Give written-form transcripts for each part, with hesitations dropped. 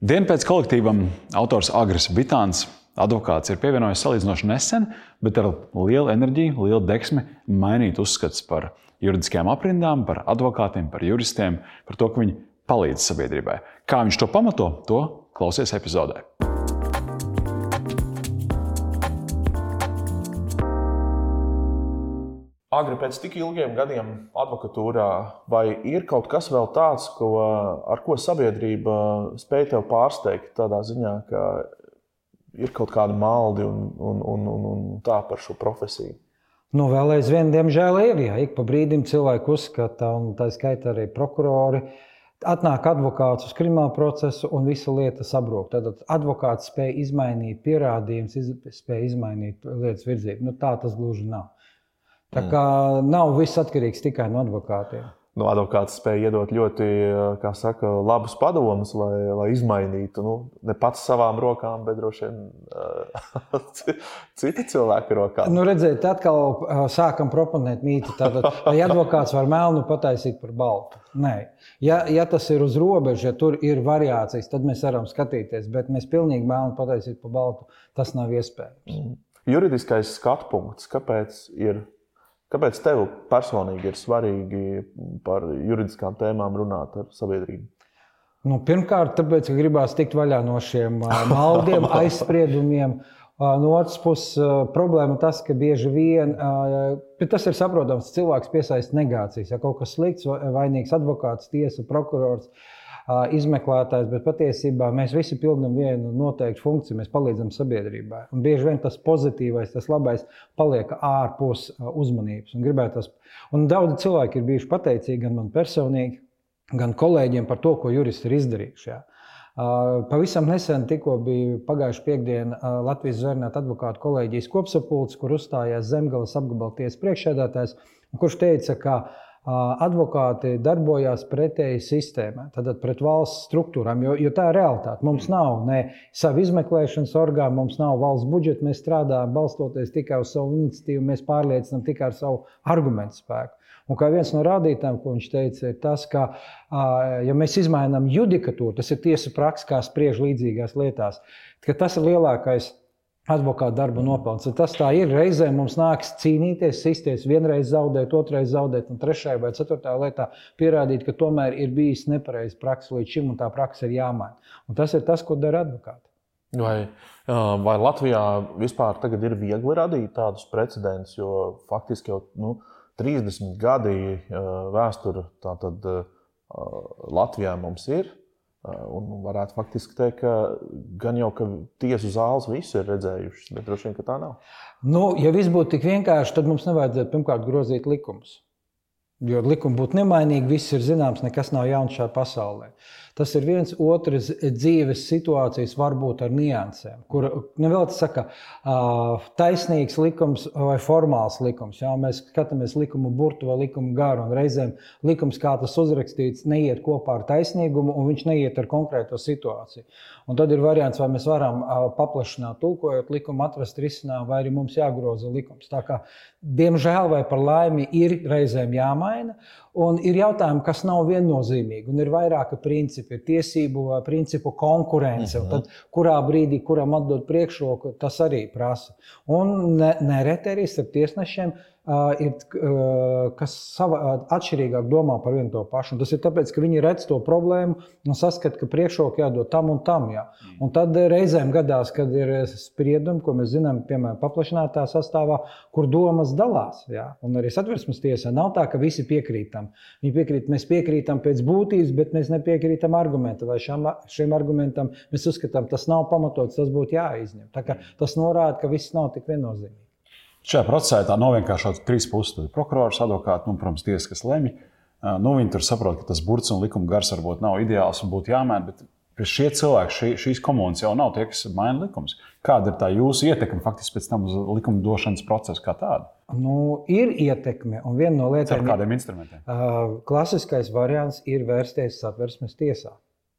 Dienu pēc kolektīvam autors Agris Bitāns, advokāts, ir pievienojies salīdzinoši nesen, bet ar lielu enerģiju, lielu deksmi mainīt uzskats par juridiskajām aprindām, par advokātiem, par juristiem, par to, ka viņi palīdz sabiedrībai. Kā viņš to pamato, to klausies epizodē. Agri, pēc tik ilgiem gadiem advokatūrā, vai ir kaut kas vēl tāds, ar ko sabiedrība spēj tev pārsteigt tādā ziņā, ka ir kaut kādi maldi un tā par šo profesiju? Nu, vēl aizvien, diemžēl, ir. Jā. Ik pa brīdim cilvēki uzskata, un tā skaitā arī prokurori, atnāk advokāts uz kriminālu procesu un visa lieta sabrūk. Tad advokāts spēj izmainīt pierādījumus, spēj izmainīt lietas virzību. Nu, tā tas gluži nav. Tā kā nav viss atkarīgs tikai no advokātiem. Nu, advokāts spēj iedot ļoti, kā saka, labus padomus, lai izmainītu, ne pats savām rokām, bet droši vien citi cilvēki rokām. Nu, redziet, atkal sākam proponēt mītu. Tātad, vai advokāts var melnu pataisīt par baltu? Nē. Ja tas ir uz robežas, ja tur ir variācijas, tad mēs varam skatīties, bet mēs pilnīgi melnu pataisīt par baltu, tas nav iespējams. Juridiskais skatpunkts, Kāpēc tev personīgi ir svarīgi par juridiskām tēmām runāt ar sabiedrību? Nu, pirmkārt, tāpēc, ka gribās tikt vaļā no šiem maldiem, aizspriedumiem. No otras puses, problēma tas, ka bieži vien, bet tas ir saprotams, cilvēks piesaista negācijas. Ja kaut kas slikts, vainīgs advokāts, tiesa, prokurors, izmeklētājs, bet patiesībā mēs visi pildām vienu noteiktu funkciju, mēs palīdzam sabiedrībai. Un bieži vien tas pozitīvais, tas labais paliek ārpus uzmanības. Un daudzi cilvēki ir bijuši pateicīgi gan man personīgi, gan kolēģiem par to, ko juristi ir izdarījuši. Jā. Pavisam nesen tikko bija pagājuši piekdiena Latvijas zvērnāta advokātu kolēģijas kopsapulce, kur uzstājās Zemgales apgabala tiesas priekšsēdētājs, kurš teica, ka advokāti darbojās pretēji sistēmai, tātad pret valsts struktūrām, jo tā ir realitāte. Mums nav ne savu izmeklēšanas orgānu, mums nav valsts budžeta, mēs strādājam balstoties tikai uz savu iniciatīvu, mēs pārliecinām tikai ar savu argumentu spēku. Un kā viens no rādītājiem, ko viņš teica, ir tas, ka, ja mēs izmainām judikatūru, tas ir tiesa praksa, kā spriež līdzīgās lietās, ka tas ir lielākais advokāta darba nopelns. Tas tā ir. Reizēm mums nāks cīnīties, sisties, vienreiz zaudēt, otrreiz zaudēt un trešajā vai ceturtajā lietā pierādīt, ka tomēr ir bijis nepareiza praksa līdz šim un tā praksa ir jāmaina. Un tas ir tas, ko dara advokāti. Vai Latvijā vispār tagad ir viegli radīt tādus precedentus, jo faktiski jau 30 gadi vēsture tātad Latvijā mums ir? Un varētu faktiski teikt, ka gan jau, ka tiesu zāles visi ir redzējušas, bet droši vien, ka tā nav. Ja viss būtu tik vienkārši, tad mums nevajadzētu pirmkārt grozīt likumus. Jo likumi būtu nemainīgi, viss ir zināms, nekas nav jauns šajā pasaulē. Tas ir viens otrs dzīves situācijas varbūt ar niansēm, kur nevēl tas saka taisnīgs likums vai formāls likums. Jā, mēs skatāmies likumu burtu vai likumu garu, un reizēm likums, kā tas uzrakstīts, neiet kopā ar taisnīgumu, un viņš neiet ar konkrēto situāciju. Un tad ir variants, vai mēs varam paplašināt tulkojot likumu, atrast risinājumu, vai arī mums jāgroza likums. Tā kā, diemžēl vai par laimi, ir reizēm jāmaina, un ir jautājumi, kas nav viennozīmīgi, un ir vairāki principi, ir tiesību vai principu konkurence, un tad kurā brīdī, kuram atdot priekšroku, tas arī prasa. Un nereti arī starp tiesnešiem ir, kas atšķirīgāk domā par vienu to pašu. Un tas ir tāpēc, ka viņi redz to problēmu un saskata, ka priekšroku jādod tam un tam. Jā. Un tad reizēm gadās, kad ir spriedumi, ko mēs zinām, piemēram, paplašinātā sastāvā, kur domas dalās. Jā. Un arī Satversmes tiesā nav tā, ka visi piekrītam. Mēs piekrītam pēc būtības, bet mēs nepiekrītam argumentam. Vai šiem argumentam mēs uzskatām, tas nav pamatots, tas būtu jāizņem. Tā kā tas norāda, ka viss nav tik viennozīmīgi. Šajā procesā tā novienkāršot trīs puses. Tad prokurors, advokāti, protams, tiesa, kas lemj. Viņi tur saprot, ka tas burts un likuma gars varbūt nav ideāls un būtu jāmaina, bet šie cilvēki, šīs komunas jau nav tie, kas maina likumus. Kāda ir tā jūsu ietekme faktiski pēc tam uz likuma došanas procesu kā tādu? Ir ietekme, un viena no lietām... Ar kādiem instrumentiem? Klasiskais variants ir vērsties Satversmes tiesā.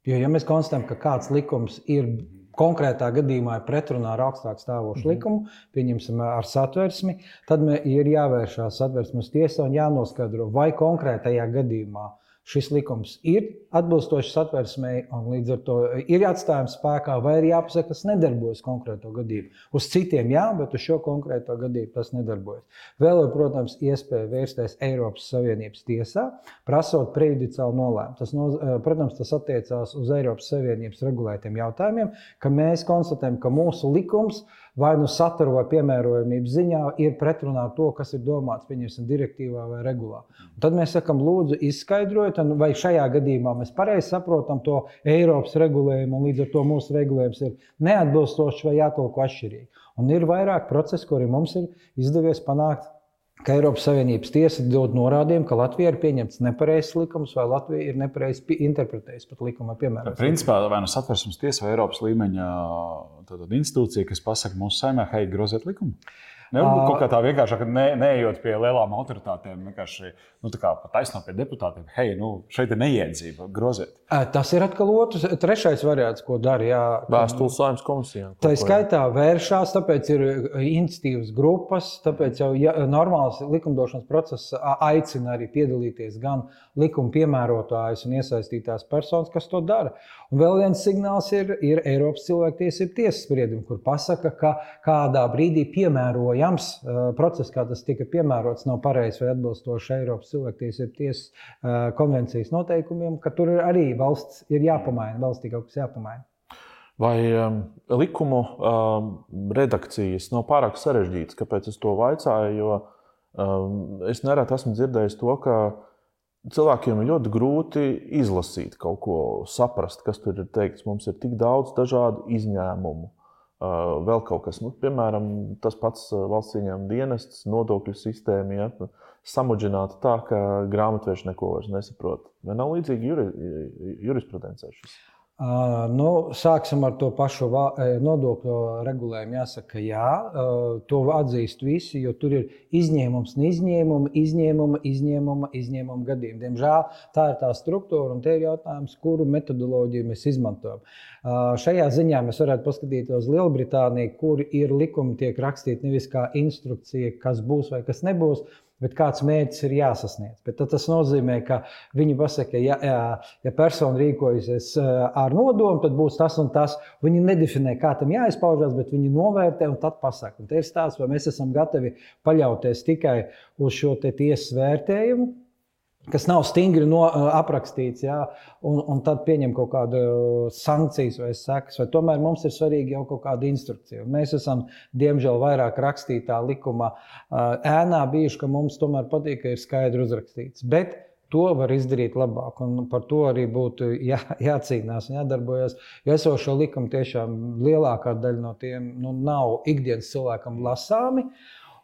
Jo, ja mēs konstatējam, ka kāds likums ir konkrētā gadījumā ir pretrunā ar augstāk stāvošu likumu, pieņemsim ar Satversmi, tad ir jāvēršās Satversmes tiesā un jānoskaidro, vai konkrētajā gadījumā šis likums ir atbilstoši Satversmei un līdz ar to ir atstājums spēkā, vai arī jāpasaka, kas nedarbojas konkrēto gadījumu. Uz citiem jā, bet uz šo konkrēto gadījumu tas nedarbojas. Vēl ir, protams, iespēja vērsties Eiropas Savienības tiesā, prasot prejudiciālu nolēmumu. Protams, tas attiecās uz Eiropas Savienības regulētiem jautājumiem, ka mēs konstatējam, ka mūsu likums vai nu satura vai piemērojamības ziņā ir pretrunā ar to, kas ir domāts, pieņemsim, direktīvā vai regulā. Un tad mēs sakam, lūdzu, izskaidrojiet, vai šajā gadījumā mēs pareizi saprotam to Eiropas regulējumu, un līdz ar to mūsu regulējums ir neatbilstošs vai jātulko atšķirīgi. Un ir vairāk procesu, kuri mums ir izdevies panākt, ka Eiropas Savienības tiesa dod norādījumu, ka Latvija ir pieņemts nepareizs likums vai Latvija ir nepareizi interpretējusi pat likuma piemērošanu. Principā vai nu Satversmes tiesa vai Eiropas līmeņa institūcija, kas pasaka mūsu Saeimē, hei, groziet likumu. Nevar kaut kā tā vienkāršāk, neejot pie lielām autoritātēm, vienkārši taisnot pie deputātiem, hei, šeit ir neiedzība, groziet. Tas ir atkal trešais variants, ko dara. Vēstules Saeimas komisijām. Tā skaitā vēršās, tāpēc ir iniciatīvas grupas, tāpēc jau normāls likumdošanas process aicina arī piedalīties gan likuma piemērotājus un iesaistītās personas, kas to dara. Un vēl viens signāls ir Eiropas cilvēktiesību tiesas spriedumi, kur pasaka, ka kādā brīdī piemērojams process, kā tas tika piemērots, nav pareizs vai atbilstoši Eiropas cilvēktiesību tiesas konvencijas noteikumiem, ka tur arī valsts ir jāpamaina, valstī kaut kas jāpamaina. Vai likumu redakcijas nav pārāk sarežģītas? Kāpēc es to vaicāju? Jo es nereti esmu dzirdējis to, ka cilvēkiem ir ļoti grūti izlasīt kaut ko, saprast, kas tur ir teikts. Mums ir tik daudz dažādu izņēmumu. Vēl kaut kas, piemēram, tas pats valsts ieņēmuma dienests, nodokļu sistēma, samudžināta tā, ka grāmatveži neko vairs nesaprot. Vai nav līdzīgi jurisprudencē šis? Sāksim ar to pašu nodokļu regulējumu. Jāsaka, jā, to atzīst visi, jo tur ir izņēmums un izņēmuma gadījumi. Diemžēl tā ir tā struktūra un te ir jautājums, kuru metodoloģiju mēs izmantojam. Šajā ziņā mēs varētu paskatīties uz Lielbritāniju, kur ir likumi tiek rakstīti nevis kā instrukcija, kas būs vai kas nebūs, bet kāds mērķis ir jāsasniedz. Bet tas nozīmē, ka viņi pasaka, ja persona rīkojusies ar nodomu, tad būs tas un tas. Viņi nedefinē, kā tam jāizpaužās, bet viņi novērtē un tad pasaka. Un te ir stāsts, vai mēs esam gatavi paļauties tikai uz šo te tiesas vērtējumu, kas nav stingri aprakstīts, un tad pieņem kaut kādu sankcijas vai sekas, vai tomēr mums ir svarīgi jau kaut kāda instrukcija. Un mēs esam, diemžēl, vairāk rakstītā likuma ēnā bijuši, ka mums tomēr patīk, ka ir skaidri uzrakstīts. Bet to var izdarīt labāk, un par to arī būtu jācīnās un jādarbojas. Jo esošo likumu tiešām lielākā daļa no tiem nav ikdienas cilvēkam lasāmi.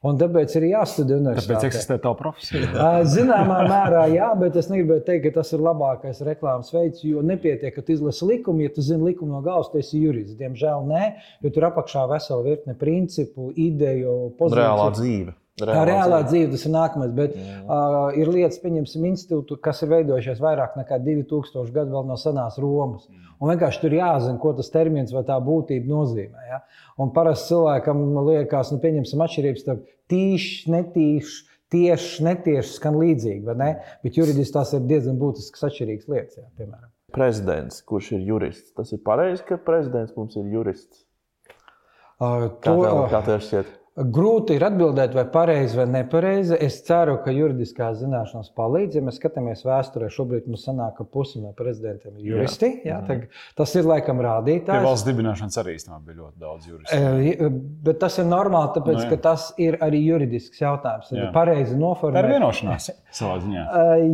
Un tāpēc ir jāstudē universitātē. Tāpēc eksistē tā profesija. Zināmā mērā jā, bet es negribēju teikt, ka tas ir labākais reklāmas veids, jo nepietiek, ka tu izlasi likumu, ja tu zini likumu no galvas, tu esi jurists. Diemžēl nē, jo tur apakšā vesela virkne principu, ideju, pozīciju. Reālā dzīve. Reālā dzīve, tas ir nākamais, bet ir lietas, pieņemsim, institūtu, kas ir veidojušies vairāk nekā 2000 gadu vēl no senās Romas. Un vienkārši tur jāzina, ko tas termins vai tā būtība nozīmē. Ja? Un parasti cilvēkam liekas, pieņemsim atšķirības starp tīšs, netīšs, tiešs, netiešs, skan līdzīgi, vai ne? Bet juridiski tās ir diezgan būtiskas atšķirīgas lietas, piemēram. Prezidents, kurš ir jurists, tas ir pareizi, ka prezidents mums ir jurists? Kā tev šķiet? Grūti ir atbildēt, vai pareizi vai nepareizi. Es ceru, ka juridiskās zināšanas palīdz. Ja mēs skatāmies vēsturē, šobrīd mums sanāk, ka pusi no prezidentiem ir juristi. Tas ir laikam rādītājs. Pie valsts dibināšanas arī bija ļoti daudz juristu. Bet tas ir normāli, tāpēc, ka tas ir arī juridisks jautājums. Pareizi noformēt. Tā ir vienošanās savā ziņā.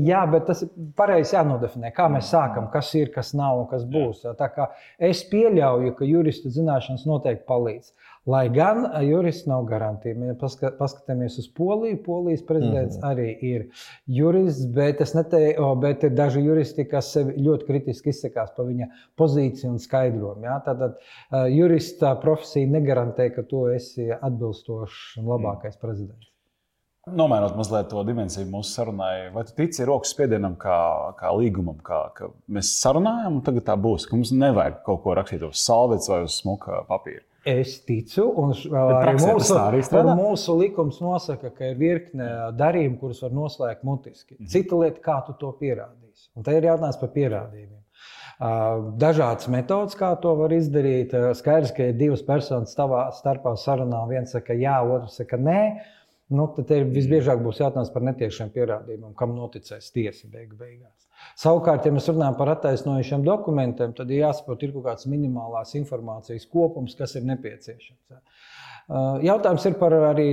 Jā, bet tas ir pareizi jānodefinē, kā mēs sākam, kas ir, kas nav un kas būs. Tā kā es pieļauju, ka juristu zināšanas noteikti palīdz. Lai gan jurists nav garantija. Ja paskatāmies uz Poliju, Polijas prezidents arī ir jurists, bet ir daži juristi, kas sevi ļoti kritiski izsakās par viņa pozīciju un skaidrojumu. Ja? Tātad jurista profesija negarantē, ka tu esi atbilstošs un labākais prezidents. Nomainot mazliet to dimensiju mūsu sarunai, vai tu tici rokas spiedienam kā līgumam, ka mēs sarunājam un tagad tā būs, ka mums nevajag kaut ko rakstīt uz salvetes vai uz smuka papīra? Es ticu, un mūsu likums nosaka, ka ir virkne darījumu, kurus var noslēgt mutiski. Cita lieta, kā tu to pierādīji. pierādīs. Un te ir jautājums par pierādījumiem. Dažādas metodas, kā to var izdarīt. Skaidrs, ka ir divas personas savā starpā sarunā, viens saka jā, otrs saka nē. Tad visbiežāk būs jautājums par netiešiem pierādījumiem, kam noticēs tiesa beigās. Savukārt, ja mēs runājam par attaisnojušiem dokumentiem, tad ir jāsaprot, ir kaut kāds minimālās informācijas kopums, kas ir nepieciešams. Jautājums ir par arī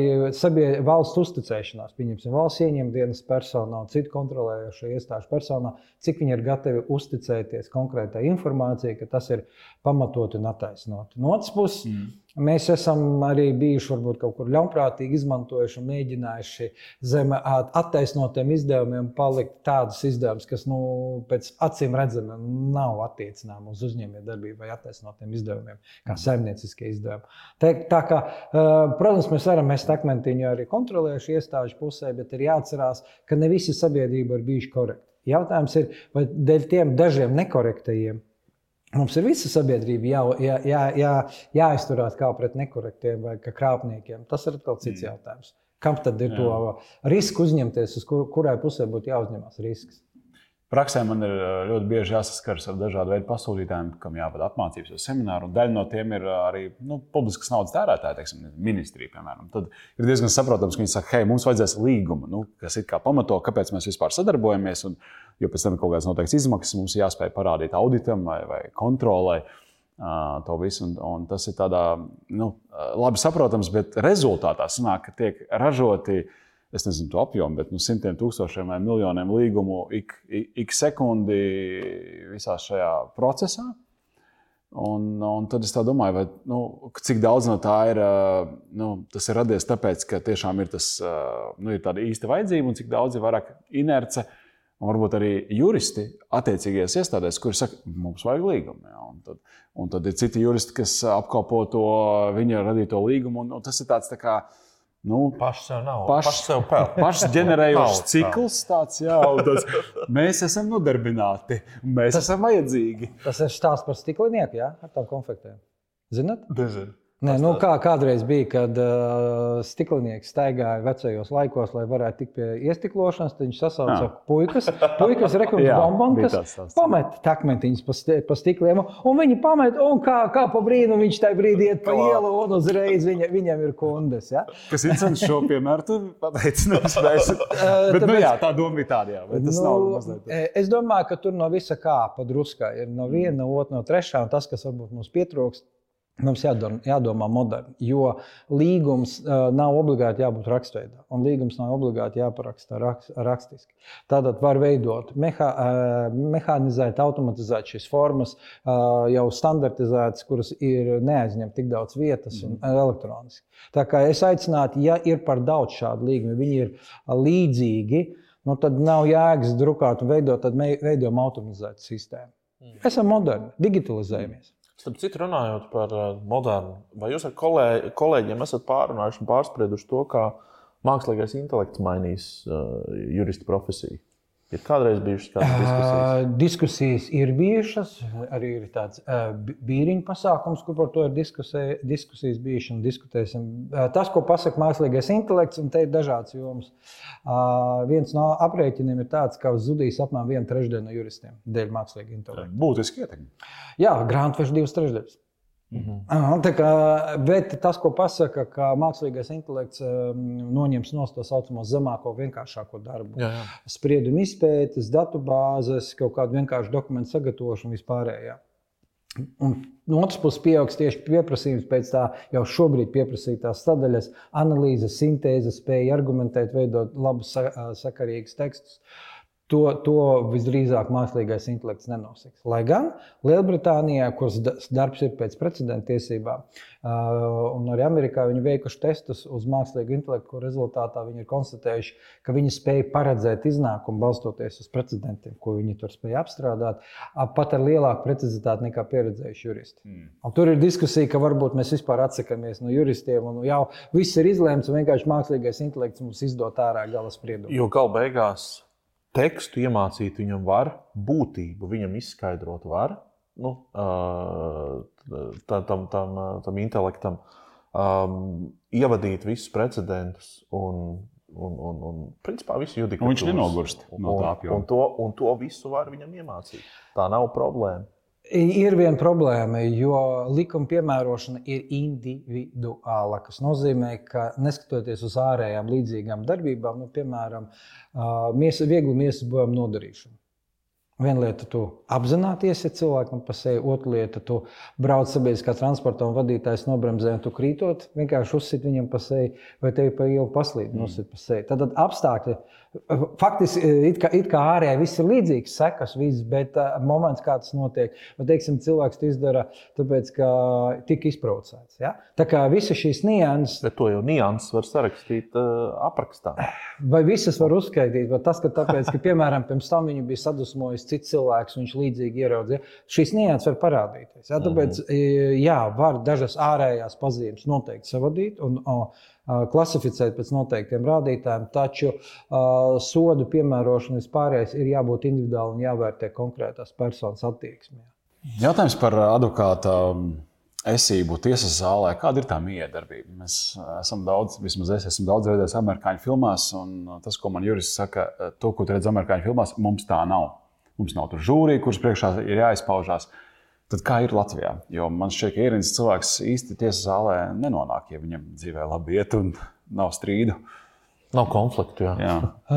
valsts uzticēšanās. Pieņemsim, valsts ieņemdienas personā un citu kontrolējošo iestāžu personā, cik viņi ir gatavi uzticēties konkrētai informācijai, ka tas ir pamatot un attaisnot. No otras puses, mēs esam arī bijuši varbūt kaut kur ļaunprātīgi izmantojuši un mēģinājuši zem attaisnotiem izdevumiem palikt tādus izdevumus, kas pēc acīm redzamiem nav attiecināmi uz uzņēmējdarbību vai attaisnotiem izdevumiem, kā saimnieciskie izdevumi. Tā kā, protams, mēs varam mest akmentiņu arī kontrolējuši iestāžu pusē, bet ir jāatcerās, ka ne visi sabiedrība ir bijuši korekti. Jautājums ir, vai dēļ tiem dažiem nekorektajiem mums ir visa sabiedrība jāizturās kā pret nekorektiem vai kā krāpniekiem. Tas ir atkal cits jautājums. Kam tad ir to risku uzņemties, uz kurai pusē būtu jāuzņemās risks? Praksē man ir ļoti bieži jāsaskaras ar dažādu veidu pasūtītājiem, kam jāvada apmācības vai semināru. Daļa no tiem ir arī publiskas naudas tērētāji, teiksim, ministrija, piemēram. Tad ir diezgan saprotams, ka viņi saka, hei, mums vajadzēs līgumu, kas ir kā pamato, kāpēc mēs vispār sadarbojamies. Jo pēc tam ir kaut kādas noteiktas izmaksas, mums jāspēj parādīt auditam vai kontrolai to visu. Un tas ir tādā labi saprotams, bet rezultātā sanāk, ka tiek ražoti, es nezinu to apjomu, bet simtiem tūkstošiem vai miljoniem līgumu ik sekundi visā šajā procesā. Un tad es tā domāju, vai, cik daudz no tā ir, tas ir radies tāpēc, ka tiešām ir, ir tāda īsta vajadzība, un cik daudz ir vairāk inerce, un varbūt arī juristi attiecīgajās iestādēs, kuri saka, mums vajag līgumu. Ja? Un tad ir citi juristi, kas apkalpo to viņa radīto līgumu, un tas ir tāds tā kā, paši sev nav. Paši sev pelna. Pašs ģenerējošs cikls tāds, mēs esam nodarbināti, mēs esam vajadzīgi. Tas ir stāsts par stiklinieku, ar tām konfektēm. Zināt? Nezinu. Nē, kādreiz bija, kad stiklinieks staigāja vecajos laikos, lai varētu tikt pie iestiklošanas, tad viņš sasauca puikas bombonkas, pamet akmentiņus pa stikliem, un viņi pamet, un kā pa brīnu viņš tajā brīdī iet pa ielu, un uzreiz viņam ir kundes. Ja? Kas incens šo piemēru tu pateici? Bet, tā doma bija tāda, vai tas nav mazliet? Es domāju, ka tur no visa kā pa druskai ir no viena, no otra, no trešā, un tas, kas varbūt mums pietrūkst, mums jādomā moderni, jo līgums nav obligāti jābūt rakstveidā, un līgums nav obligāti jāparaksta rakstiski. Tātad var veidot mehanizēt, automatizēt šīs formas, jau standartizētas, kuras ir neaizņem tik daudz vietas un elektroniski. Tā kā es aicinātu, ja ir par daudz šādu līgumu, viņi ir līdzīgi, tad nav jēgas drukāt un veidot, tad veidojam automatizētu sistēmu. Esam moderni, digitalizējamies. Starp citu, runājot par modernu, vai jūs ar kolēģiem esat pārunājuši un pārsprieduši to, kā mākslīgais intelekts mainīs jurista profesiju? Ir kādreiz bijušas kādas diskusijas? Diskusijas ir bijušas, arī ir tāds bīriņu pasākums, kur par to ir diskusijas bijušas un diskutēsim. Tas, ko pasaka mākslīgais intelekts, un te ir dažāds jomas. Viens no aprēķiniem ir tāds, ka zudīs apmēram 1/3 no juristiem dēļ mākslīga intelekta. Būtiski ietekmi. Jā, grāmatvežu 2/3. Bet tas, ko pasaka, ka mākslīgais intelekts noņems nost to saucamo zemāko, vienkāršāko darbu. Spriedumu izpētes, datubāzes, kaut kādu vienkāršu dokumentu sagatavošanu vispārējā. Un no otras puses pieaugs tieši pieprasījums pēc tā jau šobrīd pieprasītās sadaļas, analīzes, sintēzes, spēja argumentēt, veidot labus, sakarīgus tekstus. To visdrīzāk mākslīgais intelekts nenosiks. Lai gan Lielbritānijā, kuras darbs ir pēc precedenta tiesībām, un arī Amerikā viņi veikuši testus uz mākslīgu intelektu, kur rezultātā viņi ir konstatējuši, ka viņi spēja paredzēt iznākumu balstoties uz precedentiem, ko viņi tur spēja apstrādāt, pat ar lielāku precizitāti nekā pieredzējuši juristi. Un tur ir diskusija, ka varbūt mēs vispār atsakamies no juristiem, un jau viss ir izlēmts, un vienkārši mākslīgais intelekts mums izdod ārā gala spriedumu. Jo gala beigās tekstu iemācīt viņam var, būtību viņam izskaidrot var, tam intelektam, ievadīt visus precedentus un un principā visu judikatūras. Un viņš nenogurst no tā apjoma. Un to visu var viņam iemācīt. Tā nav problēma. Ir viena problēma, jo likuma piemērošana ir individuāla, kas nozīmē, ka neskatoties uz ārējām līdzīgām darbībām, piemēram, vieglu miesas bojām nodarīšanu. Viena lieta, tu apzināties, ja cilvēkam pa seju, otra lieta, tu brauc sabiedriskā transportā un vadītājs nobremzē, un tu krītot, vienkārši uzsit viņam pa seju, vai tevi pa ielu paslīd un uzsit pa seju. Tad apstākļi, faktiski, it kā ārējā viss ir līdzīgs, sekas viss, bet moments, kā tas notiek, vai, teiksim, cilvēks to izdara, tāpēc, ka tika izprovocēts. Ja? Tā kā visi šīs nianses... Bet to jau nianses var sarakstīt aprakstā. Vai visas var uzskaitīt, vai tas, ka tāpēc, ka, piemēram, pirms tam viņu bija sadusmojis cits cilvēks, viņš līdzīgi ieraudzīja. Šīs nianses var parādīties. Ja? Tāpēc, jā, var dažas ārējās pazīmes noteikti savadīt un klasificēt pēc noteiktiem rādītājiem, taču sodu piemērošana vispārējais ir jābūt individuāli un jāvērtē konkrētās personas attieksmē. Jautājums par advokāta esību tiesas zālē. Kāda ir tā miedarbība? Mēs esam vismaz es esmu daudz redzējis amerikāņu filmās, un tas, ko man jurists saka, to, ko tu redz amerikāņu filmās, mums tā nav. Mums nav tur žūrija, kuras priekšā ir jāizpaužās. Tad kā ir Latvijā? Jo man šķiet, ka ierīnas cilvēks īsti tiesas zālē nenonāk, ja viņam dzīvē labi iet un nav strīdu. Nav konfliktu, jā.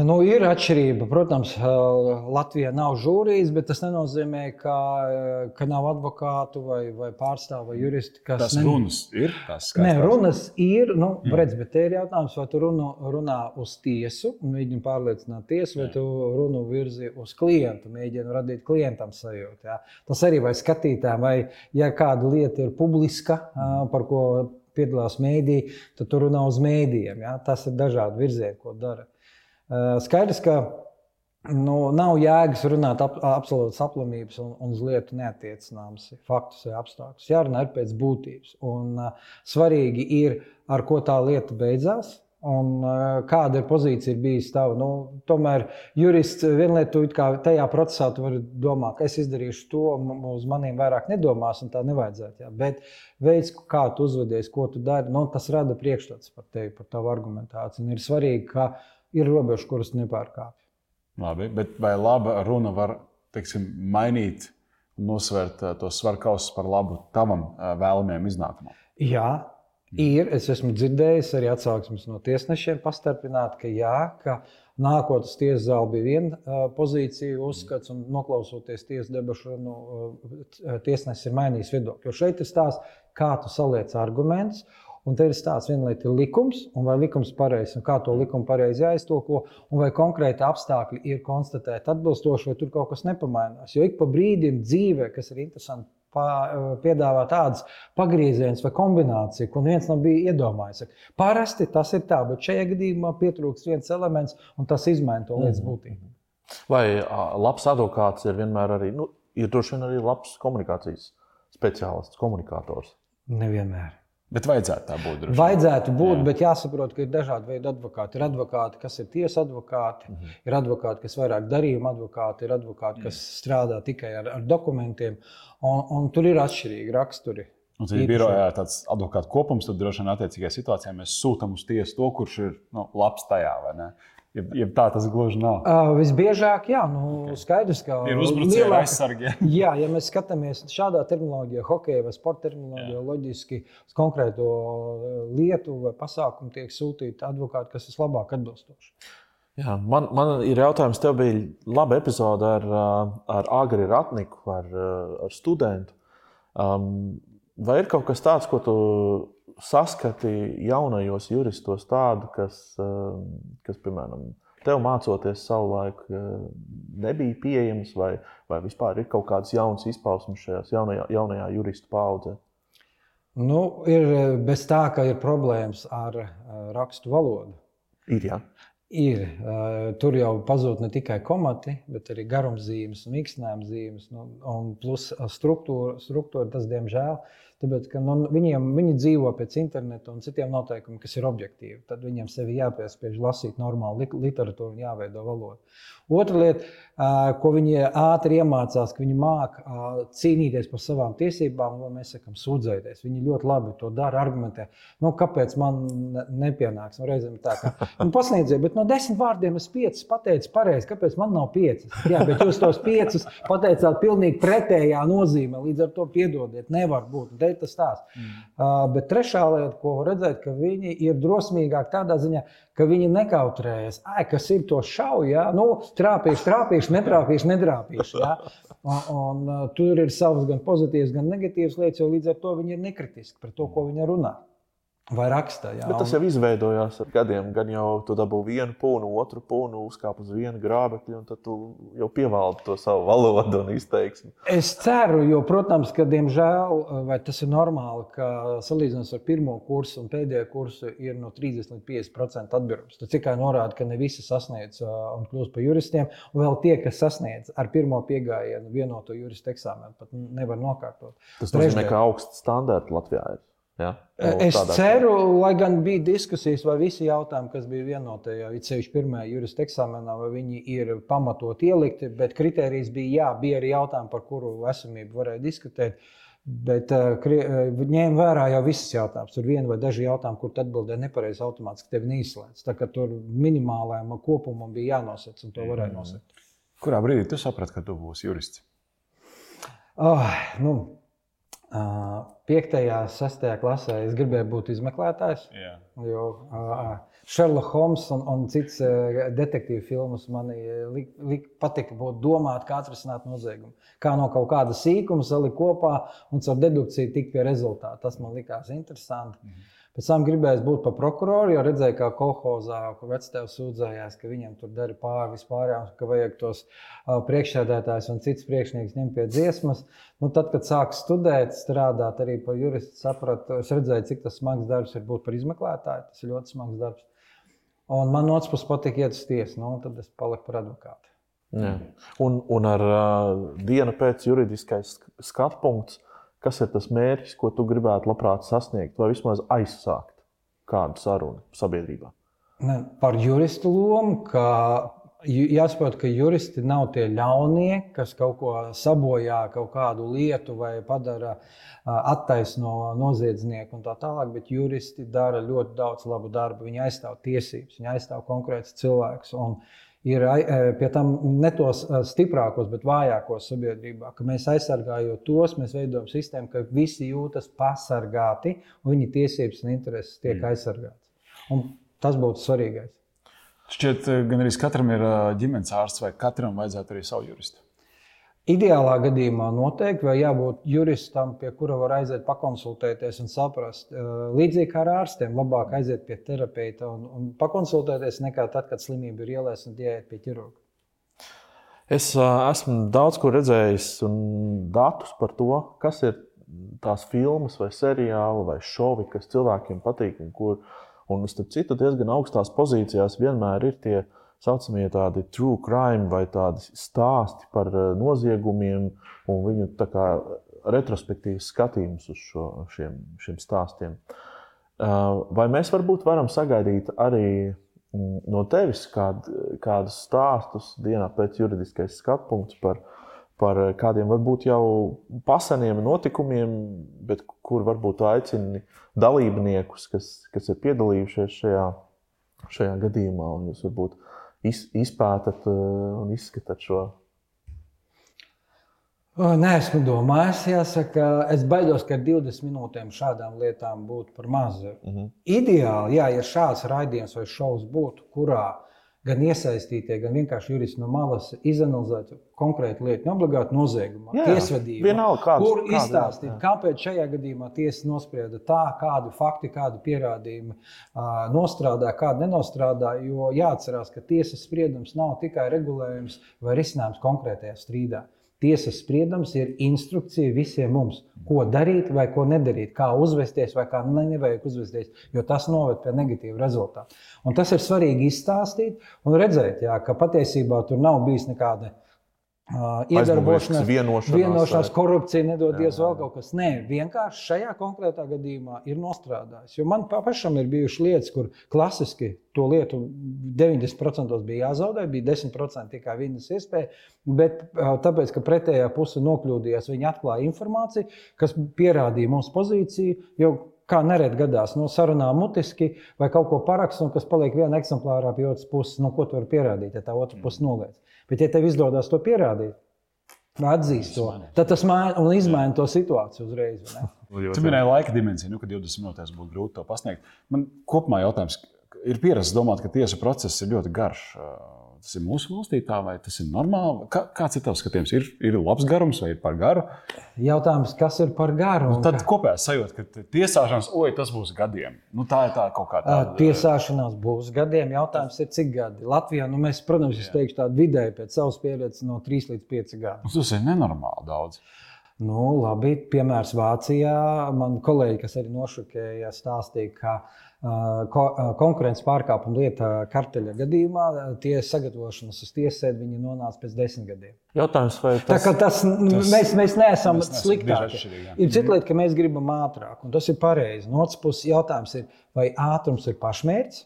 Nu, ir atšķirība. Protams, Latvijā nav žūrijas, bet tas nenozīmē, ka nav advokātu vai pārstāvu vai juristi. Tas runas ir? Nē, runas ir. Nu, redz, bet te ir jautājums, vai tu runā uz tiesu un mēģini pārliecināt tiesu, vai tu runu virzi uz klientu, mēģini radīt klientam sajūtu. Ja? Tas arī vai skatītājiem, vai ja kāda lieta ir publiska, par ko piedalās mēdī, tad tur runā uz mēdījiem. Ja? Tas ir dažādi virzieni, ko dara. Skaidrs, ka nav jēgas runāt absolūtas aplamības un uz lietu neattiecināmas faktus vai apstākļus. Jārunā ir pēc būtības. Un svarīgi ir, ar ko tā lieta beidzās un kāda ir pozīcija bijis tava. Tomēr jurists vienlietu tajā procesā tu vari domāt, ka es izdarīšu to, uz maniem vairāk nedomās un tā nevajadzētu. Ja? Bet veids, kā tu uzvedies, ko tu dari, tas rada priekšstats par tevi, par tavu argumentāciju. Un ir svarīgi, ka ir robežas, kuras nepārkāpj. Labi, bet vai laba runa var, teiksim, mainīt un nosvērt tos svarkausus par labu tavam vēlamajam iznākumam? Jā. Ir, es esmu dzirdējis arī atsauksmes no tiesnešiem pastarpināt, ka nākot uz tiesas zāli bija viena pozīcija uzskats un noklausoties tiesas debašu, tiesnesis ir mainījis viedokli. Jo šeit ir stāsts, kā tu saliec argumentus, un te ir stāsts, viena lieta ir likums, un vai likums pareizs, un kā to likumu pareizi jāiztulko, un vai konkrēti apstākļi ir konstatēti atbilstoši, vai tur kaut kas nepamainās. Jo ik pa brīdim dzīvē, kas ir interesanti, piedāvā tādas pagrieziens vai kombināciju, ko neviens nav bija iedomājies. Parasti tas ir tā, bet šajā gadījumā pietrūkst viens elements, un tas izmaina to lietas būtību. Vai labs advokāts ir vienmēr arī, ir droši vien arī labs komunikācijas speciālists, komunikators? Nevienmēr. Bet vajadzētu tā būt. Vajadzētu būt, bet jāsaprot, ka ir dažādi veidi advokāti. Ir advokāti, kas ir tiesa advokāti, ir advokāti, kas vairāk darījuma advokāti, ir advokāti, kas strādā tikai ar dokumentiem, un tur ir atšķirīgi raksturi. Un tad ir birojā tāds advokātu kopums, tad droši vien attiecīgajā situācijā mēs sūtam uz tiesu to, kurš ir labs tajā, vai ne? Ja tā tas gluži nav. Visbiežāk, jā, skaidrs, ka ir uzbrucēji vai aizsargi. Jā, ja mēs skatāmies šādā terminoloģijā, hokeja vai sporta terminoloģijā, loģiski uz konkrēto lietu vai pasākumu tiek sūtīti advokāti, kas vislabāk atbilstoši. Jā, man ir jautājums, tev bija laba epizode ar Agri Ratniku, ar studentu. Vai ir kaut kas tāds, ko tu saskati jaunajos juristos tādu, kas piemēram, tev mācoties savulaik nebija pieejams, vai vispār ir kaut kādas jaunas izpausmes šajās jaunajā juristu paaudzē? Ir bez tā, ka ir problēmas ar rakstu valodu. Ir, jā. Ir. Tur jau pazūd ne tikai komati, bet arī garumzīmes un mīkstinājuma zīmes. Un plus struktūra, tas diemžēl. Tāpēc, ka viņi dzīvo pēc interneta un citiem noteikumiem, kas ir objektīvi. Tad viņiem sevi jāpiespiež lasīt normālu literatūru un jāveido valodu. Otra lieta, ko viņi ātri iemācās, ka viņi māk cīnīties par savām tiesībām, vai mēs sakam, sūdzēties. Viņi ļoti labi to dara, argumentē. Kāpēc man nepienāks? Reizēm tā kā, pasniedziet, bet no 10 vārdiem es 5 pateicu pareizi, kāpēc man nav 5? Jā, bet jūs tos 5 pateicāt pilnīgi pretējā nozīmē, līdz ar to piedodiet, nevar būt. Tas stāsts. Bet trešā lieta, ko redzēt, ka viņi ir drosmīgāki tādā ziņā, ka viņi nekautrējas. Kas ir to šauj, ja? Trāpīšu, nedrāpīšu. Ja? Un tur ir savas gan pozitīvas, gan negatīvas lietas, jo līdz ar to viņi ir nekritiski par to, ko viņi runā. Vai raksta, jā. Bet tas jau izveidojās ar gadiem. Gan jau tu dabū vienu pūnu, otru pūnu, uzkāp uz vienu grābekļu, un tad tu jau pievaldi to savu valodu un izteiksmi. Es ceru, jo, protams, ka, diemžēl, vai tas ir normāli, ka salīdzinot ar pirmo kursu un pēdējo kursu ir no 30 līdz 50% atbildības. Tas tikai norāda, ka ne visi sasniedz un kļūst par juristiem, un vēl tie, kas sasniedz ar pirmo piegājienu vienoto juristu eksāmenu, pat nevar nokārtot. Tas nozīmē, ka augsts standarti Latvijā ir. Ja? Es ceru, lai gan bija diskusijas, vai visi jautājumi, kas bija vienotajā, it sevišķi pirmajā jurista eksāmenā, vai viņi ir pamatot ielikti, bet kritērijs bija arī jautājumi, par kuru esamību varēja diskutēt, bet ņēma vērā jau visas jautājumus. Tur viena vai daži jautājumi, kur atbildē nepareizi automātiski tevi neizslēdz. Tā kā tur minimālajam kopumam bija jānosec, un to varēja nosekt. Kurā brīdī tu saprati, ka tu būsi jurists? 5. un 6. klasē es gribēju būt izmeklētājs, jo Sherlock Holmes un cits detektīvu filmas man patika domāt, kā atrisināt noziegumu. Kā no kaut kāda sīkuma salikt kopā un caur dedukciju tikt pie rezultāta. Tas man likās interesanti. Pēc tam gribēju būt par prokuroru, jo redzēju, kā kolhozā, kur vectēvs sūdzējās, ka viņam tur dara pāri vispārējām, ka vajag tos priekšsēdētājus un cits priekšnieks ņemt pie dziesmas. Tad, kad sāku studēt, strādāt arī par juristu, sapratu, es redzēju, cik tas smags darbs ir būt par izmeklētāju. Tas ir ļoti smags darbs. Un man no otras puses patika iet uz tiesu, tad es paliku par advokātu. Jā. Un ar dienu pēc juridiskais skatpunkts, kas ir tas mērķis, ko tu gribētu labprāt sasniegt, vai vismaz aizsākt kādu sarunu sabiedrībā? Par juristu lomu, ka jāsaprot, ka juristi nav tie ļaunieki, kas kaut ko sabojā, kaut kādu lietu vai padara attaisno noziedznieku un tā tālāk, bet juristi dara ļoti daudz labu darbu. Viņi aizstāv tiesības, viņi aizstāv konkrētus cilvēkus. Un ir pie tam ne tos stiprākos, bet vājākos sabiedrībā, ka mēs aizsargājot tos, mēs veidojam sistēmu, ka visi jūtas pasargāti un viņu tiesības un intereses tiek aizsargātas. Un tas būtu svarīgais. Šķiet, gan arī katram ir ģimenes ārsts vai katram vajadzētu arī savu juristu. Ideālā gadījumā noteikti, vai jābūt juristam, pie kura var aiziet pakonsultēties un saprast. Līdzīgi kā ar ārstiem, labāk aiziet pie terapeita un pakonsultēties nekā tad, kad slimība ir ielēs un jāiet pie ķirurga. Es esmu daudz ko redzējis un datus par to, kas ir tās filmas vai seriāli vai šovi, kas cilvēkiem patīk un starp citu diezgan augstās pozīcijās vienmēr ir tie saucamie tādi true crime vai tādi stāsti par noziegumiem un viņu tā kā retrospektīvs skatījums uz šiem stāstiem. Vai mēs varbūt varam sagaidīt arī no tevis kādus stāstus dienā pēc juridiskais skatpunkts par kādiem varbūt jau paseniem notikumiem, bet kur varbūt aicini dalībniekus, kas ir piedalījušies šajā gadījumā, un jūs varbūt izpētat un izskatāt šo? Neesmu domājis, jāsaka. Es baidos, ka 20 minūtēm šādām lietām būtu par mazu. Ideāli, ja šāds raidījums vai šovs būtu, kurā gan iesaistītie, gan vienkārši juristi no malas izanalizētu konkrētu lietu, neobligāti noziegumu, tiesvedību, kur izstāstīt, kāpēc šajā gadījumā tiesa nosprieda tā, kādi fakti, kādi pierādījumi nostrādā, kādi nenostrādā, jo jāatcerās, ka tiesas spriedums nav tikai regulējums vai risinājums konkrētajā strīdā. tiesas spriedums ir instrukcija visiem mums, ko darīt vai ko nedarīt, kā uzvesties vai kā nevajag uzvesties, jo tas noved pie negatīva rezultāta. Un tas ir svarīgi izstāstīt un redzēt, jā, ka patiesībā tur nav bijis nekāda iedarbošanās, vienošanās, korupcija, nedodies vēl kaut kas. Nē, vienkārši šajā konkrētā gadījumā ir nostrādājis. Jo man pašam ir bijušas lietas, kur klasiski to lietu 90% bija jāzaudē, bija 10% tikai viņas iespēja, bet tāpēc, ka pretējā puse nokļūdījās, viņi atklāja informāciju, kas pierādīja mums pozīciju, jo kā nereti gadās, sarunā mutiski vai kaut ko parakst, un kas paliek viena eksemplārā pie otras puses, ko tu vari pierādīt, ja tā otra puse noliedz. Bet, ja tev izdodas to pierādīt, atzīst to, tad tas izmaina to situāciju uzreiz. Tu minēji laika dimensiju, ka 20 minūtēs būtu grūti to pasniegt. Man kopumā jautājums, ir pierasts domāt, ka tiesa process ir ļoti garš. Tas ir mūsu valstī tā, vai tas ir normāli? Kāds ir tavs skatījums? Ir labs garums vai ir par garu? Jautājums, kas ir par garu? Tad kopējā sajūta, ka tiesāšanās, tas būs gadiem. Tā ir tā kaut kā tāda. Tiesāšanās būs gadiem. Jautājums ir, cik gadi? Latvijā, mēs, protams, es teikšu tādu vidēji pēc savas pieredzes no 3 līdz 5 gadi. Tas ir nenormāli daudz. Labi, piemērs Vācijā. Man kolēģi, kas arī nošokēja, stāstīja, ka konkurences pārkāpuma lieta karteļa gadījumā tie sagatavošanas uz tiesasēdi viņi nonāca pēc 10 gadiem. Jautājums, vai mēs neesam sliktāki. Ir cita lieta, ka mēs gribam ātrāk, un tas ir pareizi. No otras puses jautājums ir, vai ātrums ir pašmērķis,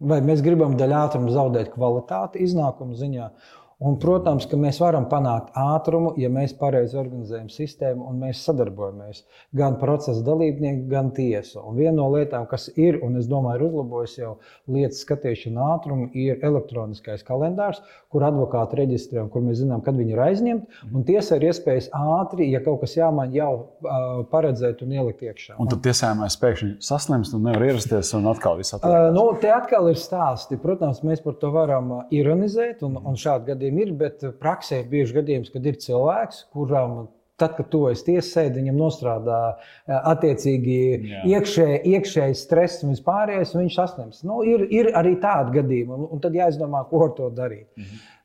vai mēs gribam daļ ātrumu zaudēt kvalitāti iznākumu ziņā. Un, protams, ka mēs varam panākt ātrumu, ja mēs pareizi organizējam sistēmu un mēs sadarbojamies. Gan procesa dalībnieki, gan tiesa. Un viena no lietām, kas ir, un es domāju, ir uzlabojis jau lietas skatīšana ātrumu, ir elektroniskais kalendārs, kur advokāti reģistrē, kur mēs zinām, kad viņi ir aizņemti. Un tiesa ir iespējas ātri, ja kaut kas jāmaina, jau paredzēt un ielikt iekšā. Un tad tiesājumais pēkšņi saslimst un nevar ierasties un atkal viss atliekās. Te atkal ir stāsti. Protams, mēs par to varam ironizēt un šādi gadījumi ir, bet praksē ir bieži gadījums, kad ir cilvēks, kuram tad, kad tu esi tiesasēdē, viņam nostrādā attiecīgi iekšēji stress un vispārējais, un viņš saslimst. Ir arī tādi gadījumi, un tad jāizdomā, ko ar to darīt.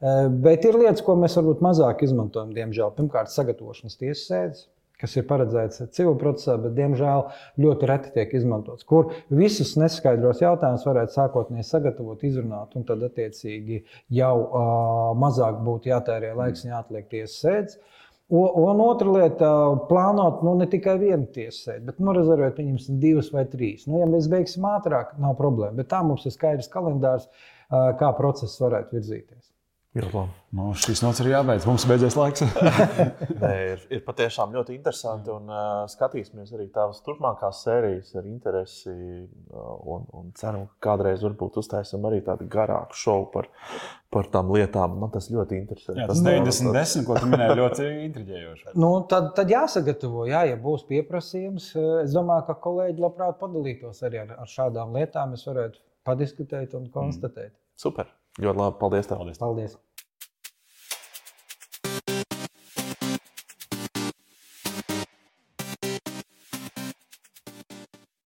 Bet ir lietas, ko mēs varbūt mazāk izmantojam, diemžēl. Pirmkārt, sagatavošanas tiesasēdes, kas ir paredzēts civil procesā, bet, diemžēl, ļoti reti tiek izmantots, kur visus neskaidros jautājumus varētu sākotnēji sagatavot, izrunāt, un tad, attiecīgi, jau mazāk būtu jātērē laiks un jāatliek tiesas sēdes. Un otra lieta - plānot ne tikai vienu tiesas sēdi, bet rezervēt viņiem 2 vai 3. Ja mēs beigsim ātrāk, nav problēma, bet tā mums ir skaidrs kalendārs, kā process varētu virzīties. Šīs nots ir jābeidz. Mums beidzies laiks. Ir patiešām ļoti interesanti. Un skatīsimies arī tavas turpmākās sērijas ar interesi. Un ceram, ka kādreiz varbūt uztaisam arī tādu garāku šovu par tām lietām. Man tas ļoti interesē. Jā, tas 90, ko tu minēji, ļoti intriģējoši. Tad jāsagatavo, ja būs pieprasījums. Es domāju, ka kolēģi labprāt padalītos arī ar šādām lietām. Mēs varētu padiskutēt un konstatēt. Super. Ļoti labi. Paldies tev. Paldies.